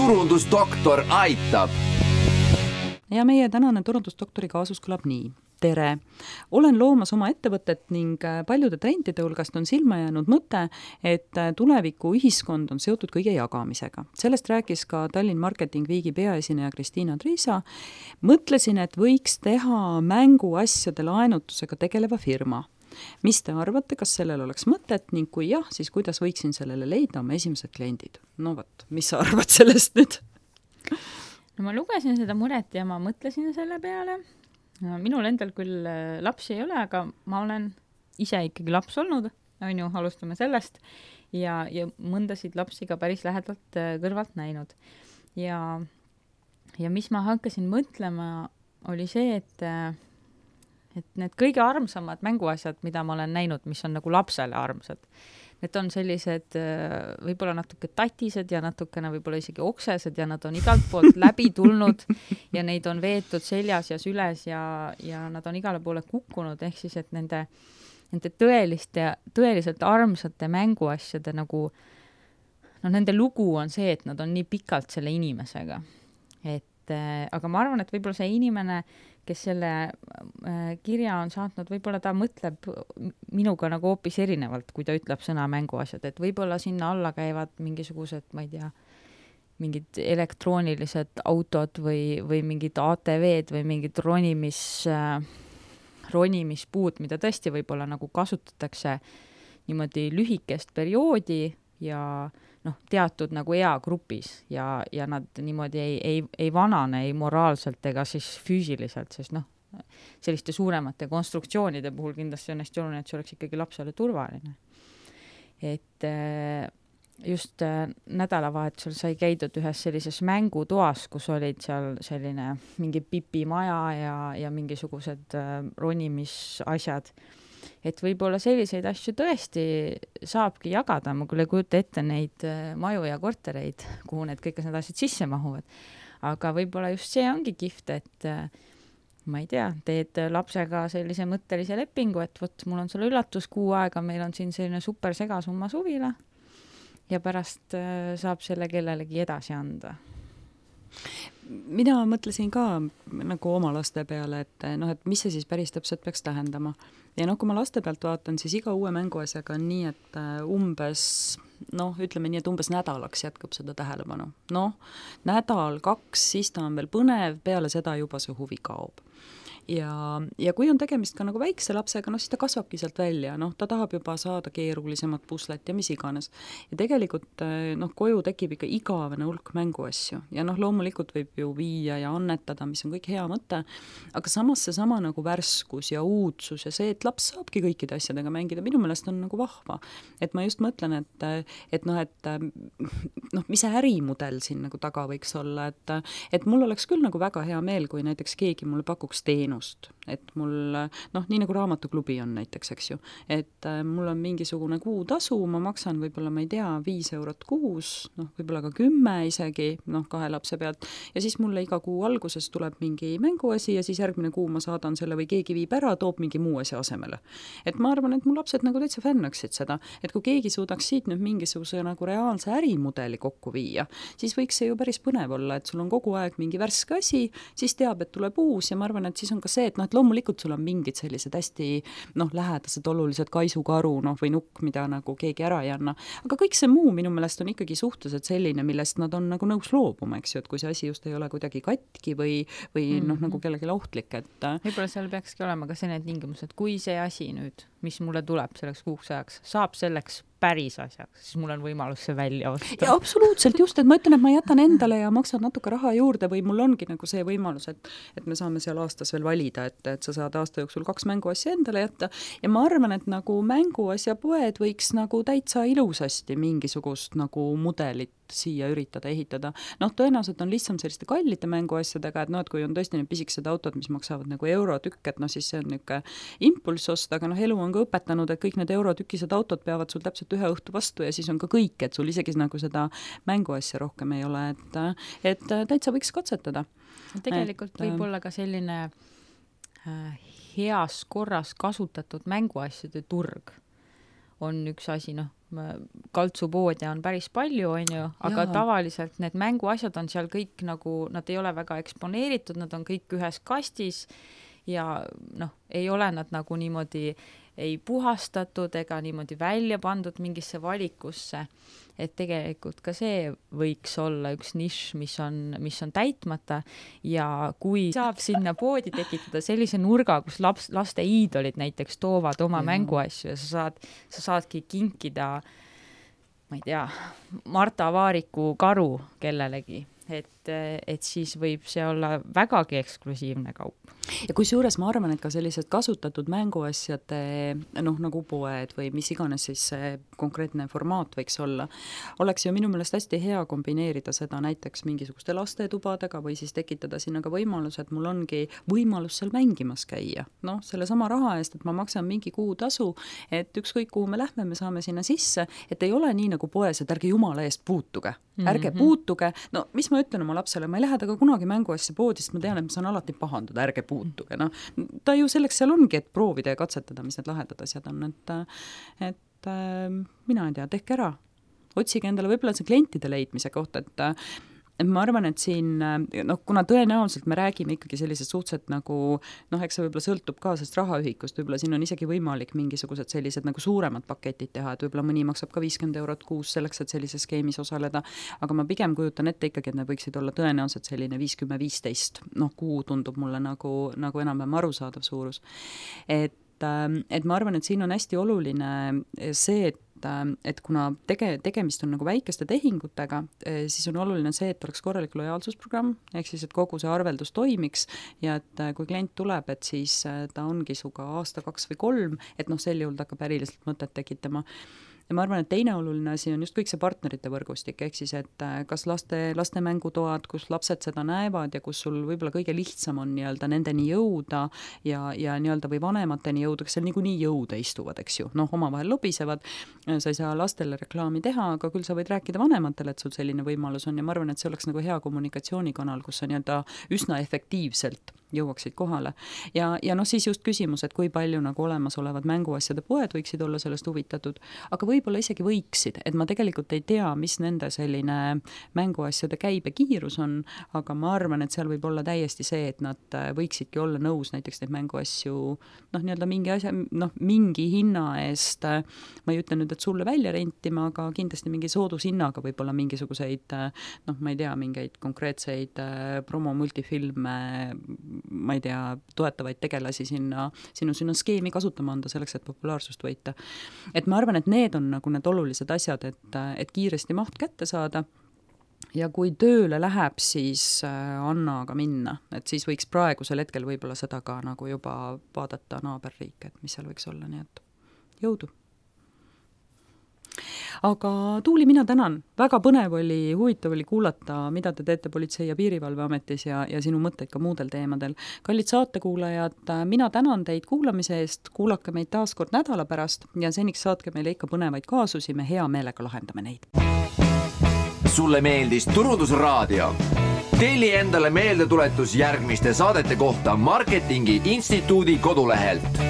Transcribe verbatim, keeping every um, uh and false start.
turundusdoktor aitab. Ja meie tänane turundusdoktori kaasus kõlab nii. Tere! Olen loomas oma ettevõtet ning paljude trendide hulgast on silma jäänud mõte, et tuleviku ühiskond on seotud kõige jagamisega. Sellest rääkis ka Tallinn Marketing Weeki peaesineja Kristiina Triisa. Mõtlesin, et võiks teha mänguasjade laenutusega tegeleva firma. Mis te arvate, kas sellel oleks mõtet ning kui jah, siis kuidas võiksin sellele leida oma esimesed kliendid? No võt, mis sa arvad sellest nüüd? No ma lugesin seda muret ja ma mõtlesin selle peale. No, minul endal küll lapsi ei ole, aga ma olen ise ikkagi laps olnud, on ju, alustame sellest, ja, ja mõndasid lapsi ka päris lähedalt kõrvalt näinud. Ja, ja mis ma hakkasin mõtlema, oli see, et, et need kõige armsamad mänguasjad, mida ma olen näinud, mis on nagu lapsele armsad, need on sellised võib-olla natuke tatised ja natukene võib-olla isegi oksesed ja nad on igalt poolt läbi tulnud ja neid on veetud seljas ja süles ja, ja nad on igale poole kukkunud, ehk siis, et nende, nende tõeliste, tõeliselt armsate mänguasjade nagu, no nende lugu on see, et nad on nii pikalt selle inimesega. Et, aga ma arvan, et võib-olla see inimene, kes selle kirja on saatnud, võib-olla ta mõtleb minuga nagu hoopis erinevalt, kui ta ütleb sõna mänguasjad, et võib-olla sinna alla käivad mingisugused, ma ei tea, mingid elektroonilised autod või, või mingid A T V-d või mingid ronimis, ronimispuud, mida tõesti võib-olla nagu kasutatakse niimoodi lühikest perioodi ja noh, teatud nagu eagrupis ja, ja nad niimoodi ei, ei, ei vanane ei moraalselt ega siis füüsiliselt, sest noh, selliste suuremate konstruktsioonide puhul kindlasti on hästi oluline, et see oleks ikkagi lapsele turvaline. Et just nädalavahetusel sai käidud ühes sellises mängutoas, kus olid seal selline mingi pipimaja ja, ja mingisugused ronimisasjad. Et võib-olla selliseid asju tõesti saabki jagada, ma küll ei kujuta ette neid maju ja kortereid, kuhu need kõik need asjad sisse mahuvad. Aga võib-olla just see ongi kihvt, et ma ei tea, teed lapsega sellise mõttelise lepingu, et võt, mul on selle üllatus kuu aega, meil on siin selline super segasumma suvila ja pärast saab selle kellelegi edasi anda. Mina mõtlesin ka nagu oma laste peale, et, noh, et mis see siis päris täpselt peaks tähendama. Ja noh, kui ma laste pealt vaatan, siis iga uue mänguasjaga on nii, et umbes, noh, ütleme nii, et umbes nädalaks jätkub seda tähelepanu. Noh, nädal, kaks, siis ta on veel põnev, peale seda juba see huvi kaob. Ja, ja kui on tegemist ka nagu väikse lapsega, no siis ta kasvabki sealt välja, noh, ta tahab juba saada keerulisemat puslet ja mis iganes. Ja tegelikult, noh, koju tekib ikka igavene hulk mänguasju ja noh, loomulikult võib ju viia ja annetada, mis on kõik hea mõte, aga samas see sama nagu värskus ja uudsus ja see, et laps saabki kõikide asjadega mängida, minu meelest on nagu vahva. Et ma just mõtlen, et, et noh, et noh, mis see ärimudel siin nagu taga võiks olla, et, et mul oleks küll nagu väga hea meel, kui näiteks keegi mulle pakuks teenu, et mul, noh, nii nagu raamatuklubi on näiteks, eks ju, et mul on mingisugune kuutasu, ma maksan võib-olla, ma ei tea, viis eurot kuus, noh, võib-olla ka kümme isegi, noh, kahe lapse pealt, ja siis mulle iga kuu alguses tuleb mingi mänguasi ja siis järgmine kuu ma saadan selle või keegi viib ära, toob mingi muu asja asemele. Et ma arvan, et mu lapsed nagu täitsa fännaksid seda, et kui keegi suudaks siit nüüd mingisuguse nagu reaalse ärimudeli kokku viia, siis võiks see ju päris põnev olla, et sul on kogu aeg mingi värske asi, siis teab, et tuleb uus ja ma arvan, et siis on ka see, et noh, et loomulikult sul on mingid sellised hästi noh, lähedased olulised kaisukaru noh, või nukk, mida nagu keegi ära ei anna. Aga kõik see muu minu meelest on ikkagi suhteliselt selline, millest nad on nagu nõus loobuma, eks ju, et kui see asi just ei ole kuidagi katki või, või mm-hmm. noh, nagu kellelgi ohtlik, et võib-olla seal peakski olema ka selline tingimus, et kui see asi nüüd, mis mulle tuleb selleks kuuks ajaks, saab selleks päris asjaks, siis mul on võimalus see välja osta. Ja absoluutselt just, et ma ütlen, et ma jätan endale ja maksan natuke raha juurde või mul ongi nagu see võimalus, et, et me saame seal aastas veel valida, et, et sa saad aasta jooksul kaks mänguasja endale jätta ja ma arvan, et nagu mänguasja poed võiks nagu täitsa ilusasti mingisugust nagu mudelit siia üritada ehitada. Noh, tõenäoliselt on lihtsam selliste kallite mänguasjadega, et noh, et kui on tõesti need pisikesed autod, mis maksavad nagu eurotükk, et noh, siis see on niisugune impulss osta, aga noh, elu on ka õpetanud, et kõik need eurotükised autod peavad sul täpselt ühe õhtu vastu ja siis on ka kõik, et sul isegi nagu seda mänguasja rohkem ei ole, et, et täitsa võiks katsetada. Tegelikult et, võib olla ka selline äh, heas korras kasutatud mänguasjade turg on üks asi, noh, kaltsupoode on päris palju, on ju, aga Jaa. tavaliselt need mänguasjad on seal kõik nagu, nad ei ole väga eksponeeritud, nad on kõik ühes kastis ja noh, ei ole nad nagu niimoodi ei puhastatud ega niimoodi välja pandud mingisse valikusse, et tegelikult ka see võiks olla üks nišš, mis on, mis on täitmata ja kui saab sinna poodi tekitada sellise nurga, kus laps, laste iidolid näiteks toovad oma ja. mänguasju ja sa saad, sa saadki kinkida, ma ei tea, Marta Vaariku karu kellelegi, et, et siis võib see olla vägagi eksklusiivne kaup. Ja kui suures ma arvan, et ka sellised kasutatud mänguasjade, noh nagu poed või mis iganes siis see konkreetne formaat võiks olla, oleks ju minu meelest hästi hea kombineerida seda näiteks mingisuguste lastetubadega või siis tekitada sinna ka võimalus, et mul ongi võimalus seal mängimas käia. Noh, selle sama raha eest, et ma maksan mingi kuutasu, et ükskõik kuhu me lähme, me saame sinna sisse, et ei ole nii nagu poes, et ärge jumala eest puutuge. Ärge mm-hmm. puutuge. No mis ma ütlen oma lapsele, ma ei lähe taga kunagi mänguasja poodi, sest ma tean, et ma saan alati pahandada, ärge puutuge. No, ta ju selleks seal ongi, et proovida ja katsetada, mis need lahedad asjad on, et, et mina ei tea, tehke ära. Otsige endale võib-olla see klientide leidmise kohta, et et ma arvan, et siin, noh, kuna tõenäoliselt me räägime ikkagi sellised suhteliselt nagu, noh, eks see võib-olla sõltub ka sellest rahaühikust, võib-olla siin on isegi võimalik mingisugused sellised nagu suuremad paketid teha, et võib-olla mõni maksab ka viiskümmend eurot kuus selleks, et sellises skeemis osaleda, aga ma pigem kujutan ette ikkagi, et need võiksid olla tõenäoliselt selline viiskümmend viisteist, noh, kuu tundub mulle nagu, nagu enam-vähem arusaadav suurus. Et, et ma arvan, et siin on hästi oluline see, et et kuna tege, tegemist on nagu väikeste tehingutega, siis on oluline see, et oleks korralik lojaalsusprogramm, ehk siis, et kogu see arveldus toimiks ja et kui klient tuleb, et siis ta ongi suga aasta, kaks või kolm, et noh, sel juhul ta hakkab äriliselt mõtet tekitama. Ja ma arvan, et teine oluline asi on just kõik see partnerite võrgustik, ehk siis, et kas laste, laste mängutoad, kus lapsed seda näevad ja kus sul võib-olla kõige lihtsam on nii-öelda nendeni jõuda ja, ja nii-öelda või vanemateni jõuda, kes seal niikuinii jõuda istuvad, eks ju, noh, omavahel lobisevad, sa ei saa lastele reklaami teha, aga küll sa võid rääkida vanematele, et sul selline võimalus on ja ma arvan, et see oleks nagu hea kommunikatsioonikanal, kus sa nii-öelda üsna efektiivselt jõuaksid kohale. Ja, ja noh, siis just küsimus, et kui palju nagu olemasolevad mänguasjade poed võiksid olla sellest huvitatud, aga võib-olla isegi võiksid, et ma tegelikult ei tea, mis nende selline mänguasjade käibe kiirus on, aga ma arvan, et seal võib olla täiesti see, et nad võiksidki olla nõus näiteks neid mänguasju, noh, nii-öelda mingi asja, noh, mingi hinna eest, ma ei ütle nüüd, et sulle välja rentima, aga kindlasti mingi soodushinnaga võib-olla mingisuguseid, noh, ma ei tea, mingeid konkreetseid promo multifilme, ma ei tea, toetavaid tegelasi sinna, sinu sinna skeemi kasutama anda selleks, et populaarsust võita. Et ma arvan, et need on nagu need olulised asjad, et, et kiiresti maht kätte saada ja kui tööle läheb, siis anna aga minna, et siis võiks praegusel hetkel võib-olla seda ka nagu juba vaadata naaberriike, et mis seal võiks olla, nii et jõudu. Aga Tuuli, mina tänan. Väga põnev oli, huvitav oli kuulata, mida te teete Politsei- ja Piirivalveametis ja, ja sinu mõtteid ka muudel teemadel. Kallid saatekuulajad, mina tänan teid kuulamise eest, kuulake meid taas kord nädala pärast ja seniks saatke meile ikka põnevaid kaasusi, me hea meelega lahendame neid. Sulle meeldis Turundusraadio? Telli endale meeldetuletus järgmiste saadete kohta Marketingi Instituudi kodulehelt.